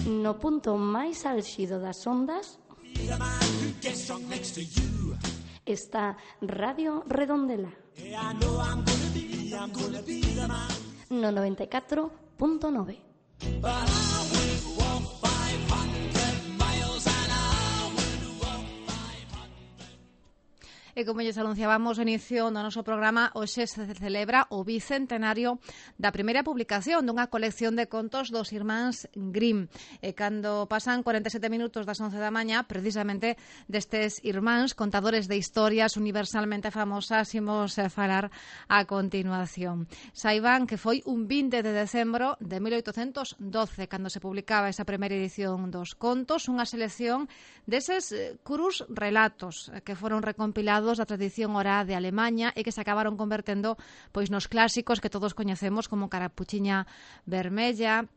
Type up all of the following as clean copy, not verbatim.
No punto máis álxido das ondas está Radio Redondela. No 94.9. E como lles anunciábamos no inicio do noso programa, hoxe se celebra o bicentenario da primeira publicación dunha colección de contos dos irmáns Grimm. E cando pasan 47 minutos das 11 da mañá, precisamente destes irmáns contadores de historias universalmente famosas imos falar a continuación. Saiban que foi un 20 de decembro de 1812 cando se publicaba esa primeira edición dos contos, unha selección deses crus relatos que foron recompilados da tradición oral de Alemanha e que se acabaron convertendo pois nos clásicos que todos coñecemos como Carapuchiña Vermella,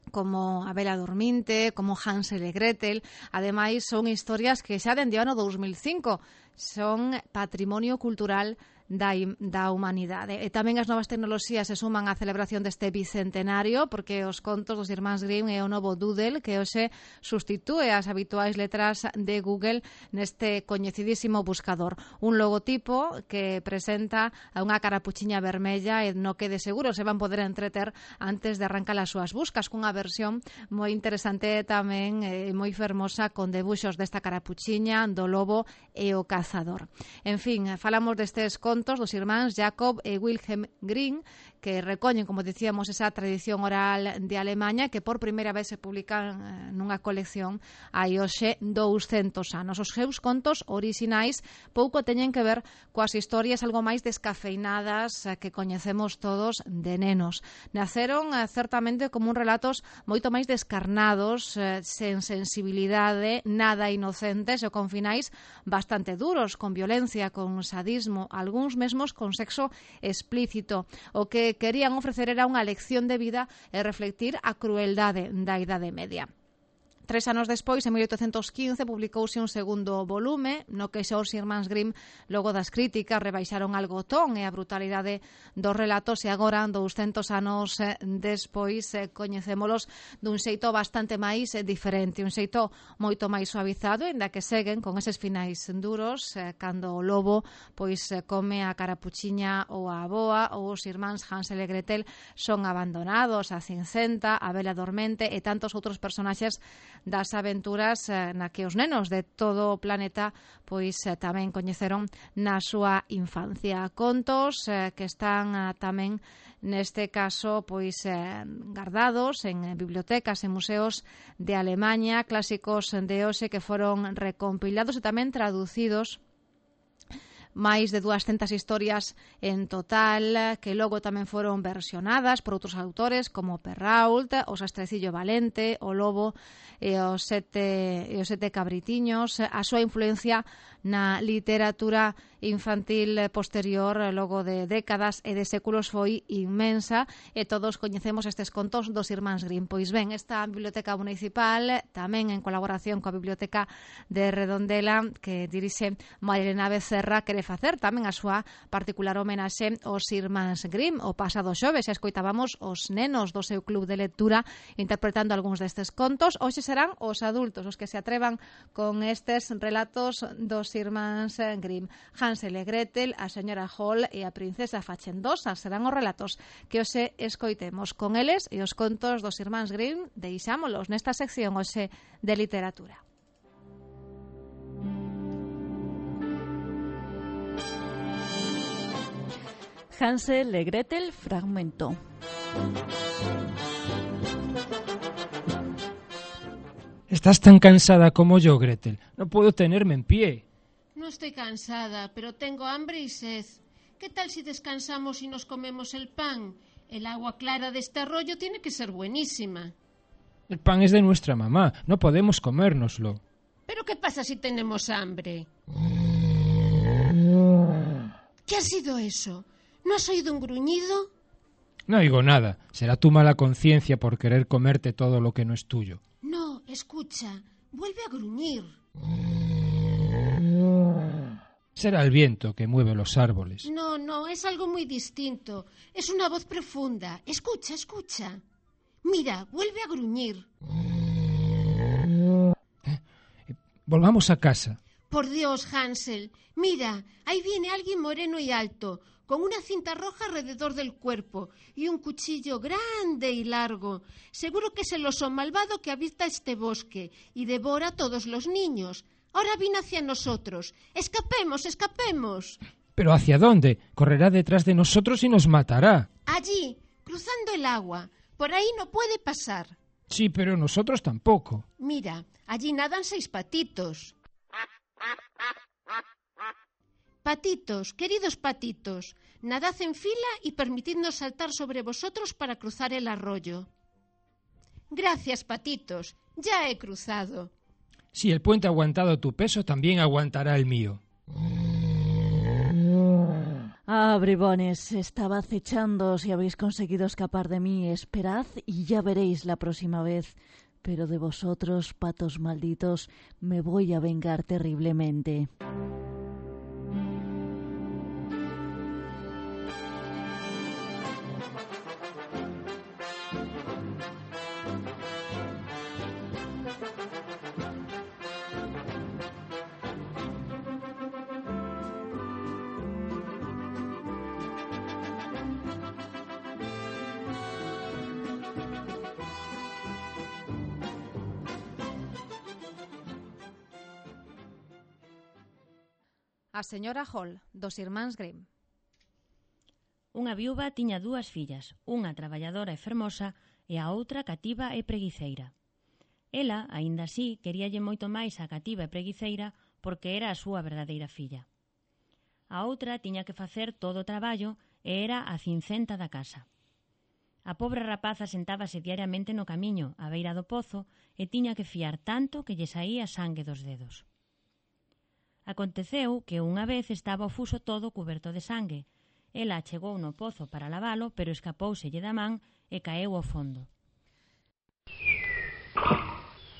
como A Bela Dorminte, como Hansel e Gretel. Ademais, son historias que xa dende o ano 2005 son patrimonio cultural da humanidade. E tamén as novas tecnoloxías se suman á celebración deste bicentenario, porque os contos dos irmáns Grimm é o novo Doodle que hoxe sustitúe as habituais letras de Google neste coñecidísimo buscador. Un logotipo que presenta a unha carapuchiña vermella e no que de seguro se van poder entreter antes de arrancar as súas buscas, cunha versión moi interesante tamén moi fermosa con debuxos desta carapuchiña, do lobo e o cazador. En fin, falamos destes contos dos irmáns Jacob e Wilhelm Grimm, que recoñen, como dicíamos, esa tradición oral de Alemanha que por primeira vez se publican nunha colección hai hoxe 200 anos. Os seus contos orixinais pouco teñen que ver coas historias algo máis descafeinadas que coñecemos todos de nenos. Naceron certamente como un relatos moito máis descarnados, sen sensibilidade, nada inocentes e con finais bastante duros, con violencia, con sadismo, algúns mesmos con sexo explícito. O que querían ofrecer era unha lección de vida e reflectir a crueldade da Idade Media. 3 anos despois, en 1815, publicouse un segundo volume no que xa os irmáns Grimm, logo das críticas, rebaixaron algo o ton e a brutalidade dos relatos e agora, 200 anos despois, coñecémolos dun xeito bastante máis diferente, un xeito moito máis suavizado, ainda que seguen con eses finais duros, cando o lobo pois come a carapuchiña ou a aboa, ou os irmáns Hansel e Gretel son abandonados, a Cincenta, a Bela Dormente e tantos outros personaxes das aventuras na que os nenos de todo o planeta pois tamén coñeceron na súa infancia. Contos que están tamén neste caso pois guardados en bibliotecas e museos de Alemanha, clásicos de hoxe que foron recompilados e tamén traducidos, máis de 200 historias en total, que logo tamén foron versionadas por outros autores como Perrault, o Sastrecillo Valente, o Lobo e os sete cabritiños. A súa influencia na literatura infantil posterior, logo de décadas e de séculos, foi inmensa e todos coñecemos estes contos dos irmáns Grimm. Pois ben, esta biblioteca municipal, tamén en colaboración coa Biblioteca de Redondela, que dirixe Marilena Becerra, quere facer tamén a súa particular homenaxe aos irmáns Grimm. O pasado xoves xa escoitábamos os nenos do seu club de lectura interpretando algúns destes contos. Hoxe serán os adultos os que se atrevan con estes relatos dos irmáns Grimm. Hansel e Gretel, a señora Hall e a princesa Fachendosa serán os relatos que hoxe escoitemos. Con eles e os contos dos irmáns Grimm deixámolos nesta sección hoxe de literatura. Hansel e Gretel, fragmento. Estás tan cansada como yo, Gretel. No puedo tenerme en pie. No estoy cansada, pero tengo hambre y sed. ¿Qué tal si descansamos y nos comemos el pan? El agua clara de este arroyo tiene que ser buenísima. El pan es de nuestra mamá. No podemos comérnoslo. ¿Pero qué pasa si tenemos hambre? ¿Qué ha sido eso? ¿No has oído un gruñido? No oigo nada. Será tu mala conciencia por querer comerte todo lo que no es tuyo. No, escucha. Vuelve a gruñir. Será el viento que mueve los árboles. No, es algo muy distinto. Es una voz profunda. Escucha, escucha. Mira, vuelve a gruñir. Volvamos a casa. Por Dios, Hansel. Mira, ahí viene alguien moreno y alto, con una cinta roja alrededor del cuerpo y un cuchillo grande y largo. Seguro que es el oso malvado que habita este bosque y devora a todos los niños. Ahora viene hacia nosotros. ¡Escapemos, escapemos! ¿Pero hacia dónde? Correrá detrás de nosotros y nos matará. Allí, cruzando el agua. Por ahí no puede pasar. Sí, pero nosotros tampoco. Mira, allí nadan 6 patitos. Patitos, queridos patitos, nadad en fila y permitidnos saltar sobre vosotros para cruzar el arroyo. Gracias, patitos, ya he cruzado. Si el puente ha aguantado tu peso, también aguantará el mío. Ah, bribones, estaba acechando si habéis conseguido escapar de mí. Esperad y ya veréis la próxima vez. Pero de vosotros, patos malditos, me voy a vengar terriblemente. A señora Hall, dos irmáns Grimm. Unha viúva tiña 2 fillas, unha traballadora e fermosa e a outra cativa e preguiceira. Ela, aínda así, queríalle moito máis a cativa e preguiceira porque era a súa verdadeira filla. A outra tiña que facer todo o traballo e era a cincenta da casa. A pobre rapaza sentábase diariamente no camiño, á beira do pozo, e tiña que fiar tanto que lle saía sangue dos dedos. Aconteceu que unha vez estaba o fuso todo cuberto de sangue. Ela chegou no pozo para lavalo, pero escapouselle da man e caeu ao fondo.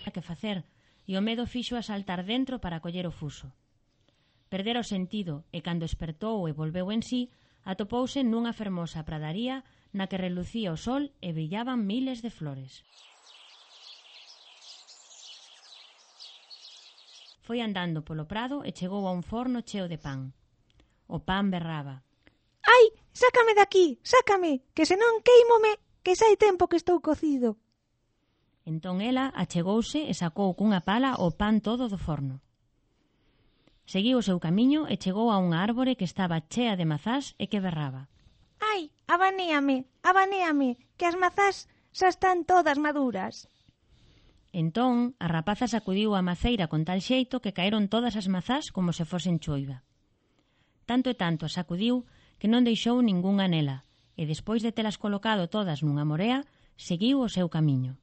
Que facer, e o medo fixo a saltar dentro para coller o fuso. Perdera o sentido e cando espertou e volveu en sí, atopouse nunha fermosa pradaría na que relucía o sol e brillaban miles de flores. Foi andando polo prado e chegou a un forno cheo de pan. O pan berraba. Ai, sácame daqui, sácame, que senón queímome, que xa hai tempo que estou cocido. Entón ela achegouse e sacou cunha pala o pan todo do forno. Seguiu o seu camiño e chegou a unha árbore que estaba chea de mazás e que berraba. Ai, abanéame, que as mazás xa están todas maduras. Entón, a rapaza sacudiu a maceira con tal xeito que caeron todas as mazás como se fosen choiva. Tanto e tanto a sacudiu que non deixou ningunha nela, e despois de telas colocado todas nunha morea, seguiu o seu camiño.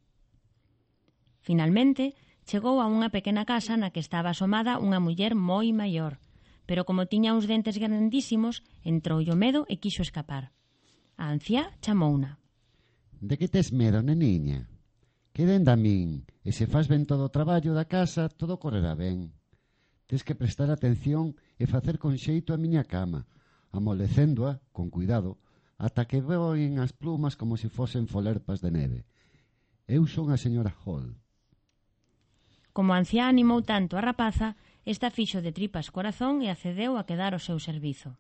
Finalmente, chegou a unha pequena casa na que estaba asomada unha muller moi maior, pero como tiña uns dentes grandísimos, entroulle o medo e quixo escapar. A anciá chamouna. De que tes medo, neniña? Queden da min, e se faz ben todo o traballo da casa, todo correrá ben. Tes que prestar atención e facer con xeito a miña cama, amolecéndoa, con cuidado, ata que voen as plumas como se fosen folerpas de neve. Eu son a señora Hall. Como a anciá animou tanto a rapaza, esta fixo de tripas corazón e accedeu a quedar ao seu servizo.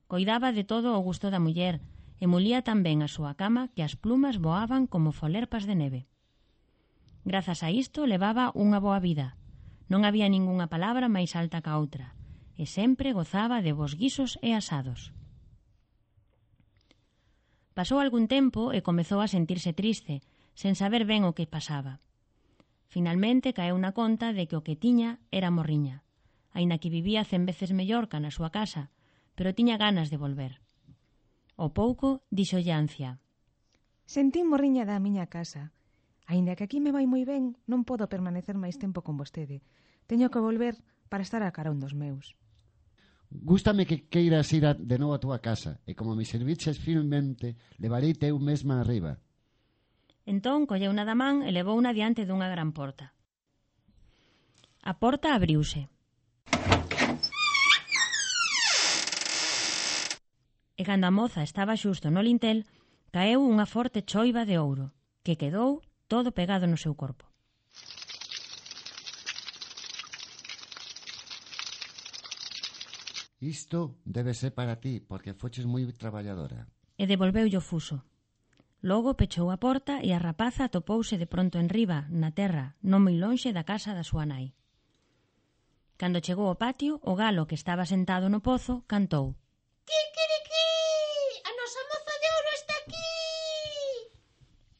Coidaba de todo o gusto da muller e mulía tan ben a súa cama que as plumas voaban como folerpas de neve. Grazas a isto levaba unha boa vida. Non había ningunha palabra máis alta ca outra, e sempre gozaba de bons guisos e asados. Pasou algún tempo e comezou a sentirse triste, sen saber ben o que pasaba. Finalmente caeu na conta de que o que tiña era morriña, aínda que vivía 100 veces mellor ca na súa casa, pero tiña ganas de volver. Ao pouco, dixolle a anciá. Sentín morriña da miña casa. Aínda que aquí me vai moi ben, non podo permanecer máis tempo con vostede. Teño que volver para estar a carón dos meus. Gústame que queiras ir de novo a túa casa, e como me serviches firmemente, levareite eu mesma arriba. Entón colleu na da man e levouna diante dunha gran porta. A porta abriuse. e cando a moza estaba xusto no lintel, caeu unha forte choiva de ouro, que quedou todo pegado no seu corpo. Isto debe ser para ti, porque foches moi traballadora. E devolveulle o fuso. Logo pechou a porta e a rapaza atopouse de pronto enriba, na terra, non moi lonxe da casa da súa nai. Cando chegou ao patio, o galo que estaba sentado no pozo cantou: Kikiriki! A nosa moza de ouro está aquí!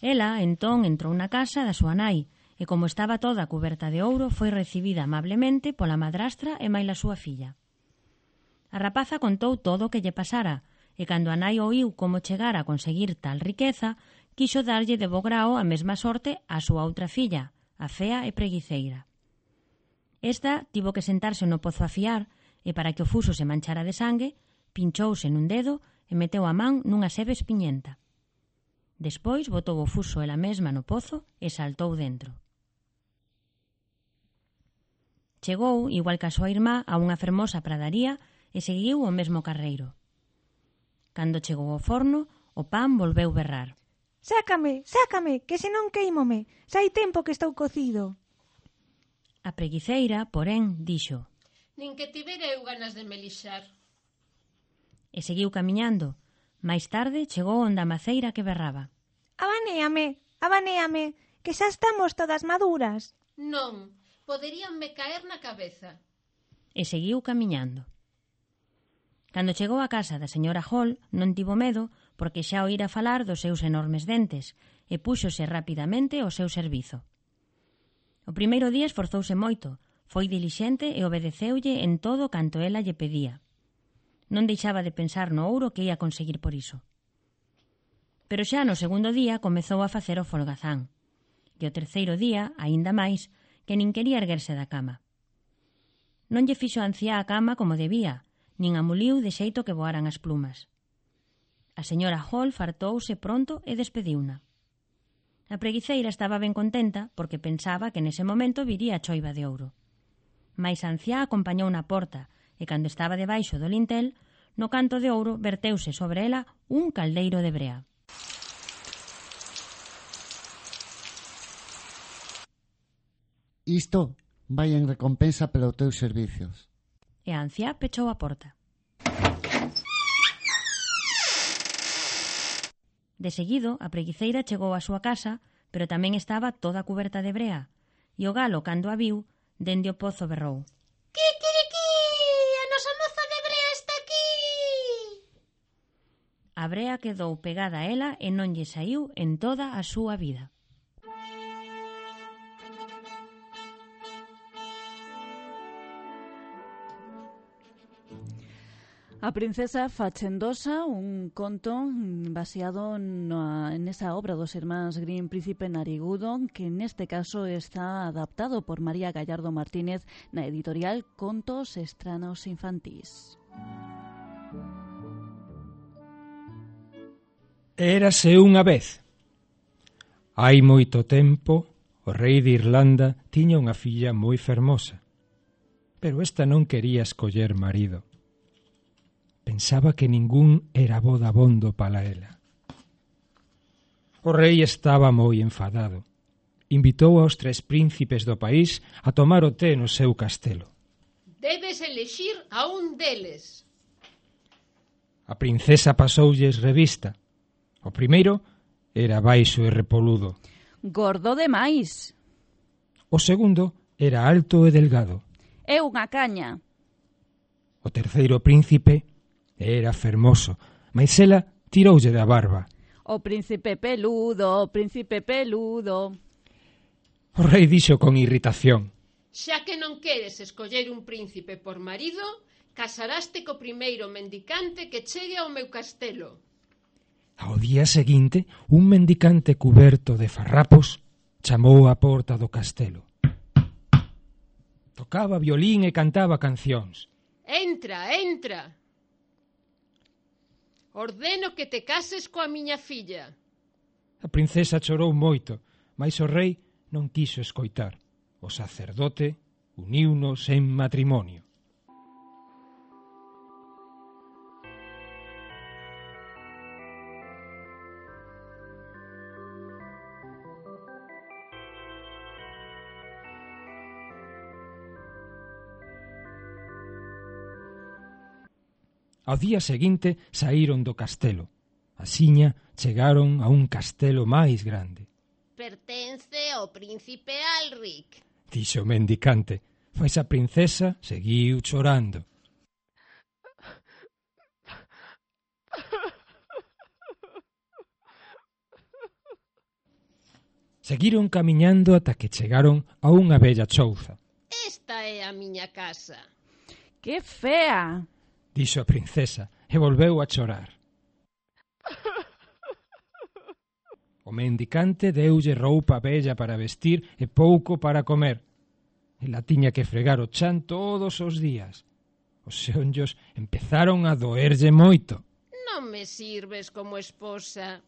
Ela, entón, entrou na casa da súa nai e, como estaba toda cuberta de ouro, foi recibida amablemente pola madrastra e maila súa filla. A rapaza contou todo o que lle pasara, e cando a nai oíu como chegara a conseguir tal riqueza, quixo darlle de bo grao a mesma sorte á súa outra filla, a fea e preguiceira. Esta tivo que sentarse no pozo a fiar, e para que o fuso se manchara de sangue, pinchouse nun dedo e meteu a man nunha sebe espiñenta. Despois botou o fuso ela mesma no pozo e saltou dentro. Chegou, igual que a súa irmá, a unha fermosa pradaría e seguiu o mesmo carreiro. Cando chegou ao forno, o pan volveu berrar. Sácame, sácame, que senón queímome. Xa hai tempo que estou cocido. A preguiceira, porén, dixo: Nin que tivera eu ganas de me lixar. E seguiu camiñando. Máis tarde chegou onde a maceira que berraba. Abanéame, abanéame, que xa estamos todas maduras. Non, poderíanme caer na cabeza. E seguiu camiñando. Cando chegou á casa da señora Hall, non tivo medo porque xa oíra falar dos seus enormes dentes e púxose rapidamente ao seu servizo. O primeiro día esforzouse moito, foi dilixente e obedeceulle en todo canto ela lle pedía. Non deixaba de pensar no ouro que ia conseguir por iso. Pero xa no segundo día comezou a facer o folgazán, e o terceiro día, aínda máis, que nin quería erguerse da cama. Non lle fixo a anciá a cama como debía, nin a muliu de xeito que voaran as plumas. A señora Hall fartouse pronto e despediuna. A preguiceira estaba ben contenta porque pensaba que nese momento viría a choiva de ouro. Mais a anciá acompañou na porta e cando estaba debaixo do lintel, no canto de ouro verteuse sobre ela un caldeiro de brea. Isto vai en recompensa pelos teus servicios. E a anciá pechou a porta. De seguido, a preguiceira chegou á súa casa, pero tamén estaba toda cuberta de brea, e o galo, cando a viu, dende o pozo berrou: Kikiriki! A nosa moza de brea está aquí! A brea quedou pegada a ela e non lle saíu en toda a súa vida. A princesa Fachendosa, un conto baseado nesa obra dos irmáns Grimm, Príncipe Narigudo, que neste caso está adaptado por María Gallardo Martínez na editorial Contos Estranos Infantís. Érase unha vez. Hai moito tempo, o rei de Irlanda tiña unha filla moi fermosa, pero esta non quería escoller marido. Pensaba que ningún era bo dabondo para ela. O rei estaba moi enfadado. Invitou aos 3 príncipes do país a tomar o té no seu castelo. Debes elexir a un deles. A princesa pasoulles revista. O primeiro era baixo e repoludo. Gordo demais. O segundo era alto e delgado. É unha caña. O terceiro príncipe era fermoso, mais ela tiroulle da barba. O príncipe peludo, o príncipe peludo. O rei dixo con irritación: Xa que non queres escoller un príncipe por marido, casaraste co primeiro mendicante que chegue ao meu castelo. Ao día seguinte, un mendicante cuberto de farrapos chamou á porta do castelo. Tocaba violín e cantaba cancións. Entra, entra. Ordeno que te cases coa miña filla. A princesa chorou moito, mas o rei non quiso escoitar. O sacerdote uniunos en matrimonio. Ao día seguinte saíron do castelo. Asiña chegaron a un castelo máis grande. Pertence ao príncipe Alric. Dixo o mendicante, mais a princesa seguiu chorando. Seguiron camiñando ata que chegaron a unha bella chouza. Esta é a miña casa. ¡Qué fea! Dixo a princesa e volveu a chorar. O mendicante deulle roupa bella para vestir e pouco para comer. Ela tiña que fregar o chan todos os días. Os xeonllos empezaron a doerlle moito. Non me sirves como esposa.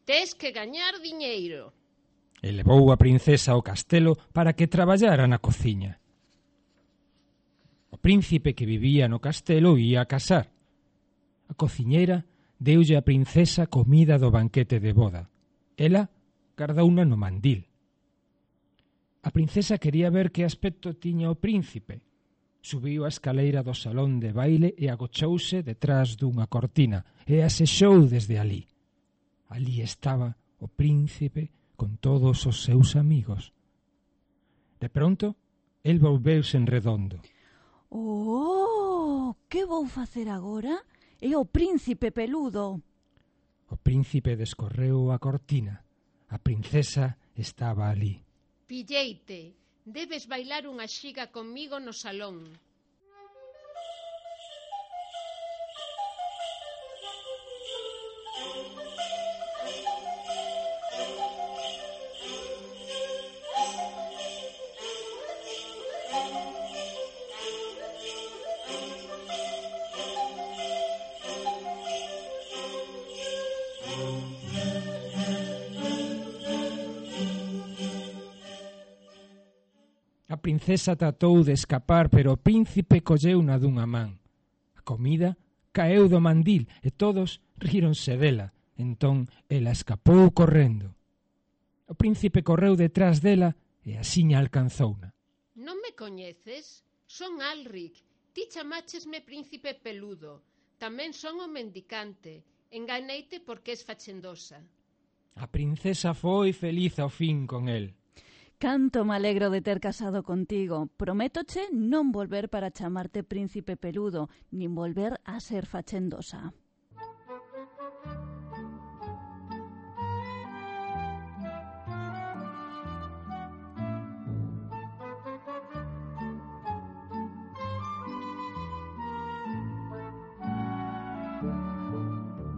Tes que gañar diñeiro. E levou a princesa ao castelo para que traballara na cociña. O príncipe que vivía no castelo ía a casar. A cociñeira deulle a princesa comida do banquete de boda. Ela gardouna no mandil. A princesa quería ver que aspecto tiña o príncipe. Subiu a escaleira do salón de baile e agochouse detrás dunha cortina e asexou desde alí. Alí estaba o príncipe con todos os seus amigos. De pronto, el volveuse en redondo. Oh, que vou facer agora? É o príncipe peludo. O príncipe descorreu a cortina. A princesa estaba alí. Pilleite, debes bailar unha xiga comigo no salón. A princesa tratou de escapar, pero o príncipe colleuna dunha man. A comida caeu do mandil e todos ríronse dela. Entón, ela escapou correndo. O príncipe correu detrás dela e asiña alcanzouna. Non me coñeces? Son Alric. Ti chamáchesme príncipe peludo. Tamén son o mendicante. Enganeite porque es fachendosa. A princesa foi feliz ao fin con el. Canto me alegro de ter casado contigo. Prométoche non volver para chamarte príncipe peludo, nin volver a ser fachendosa.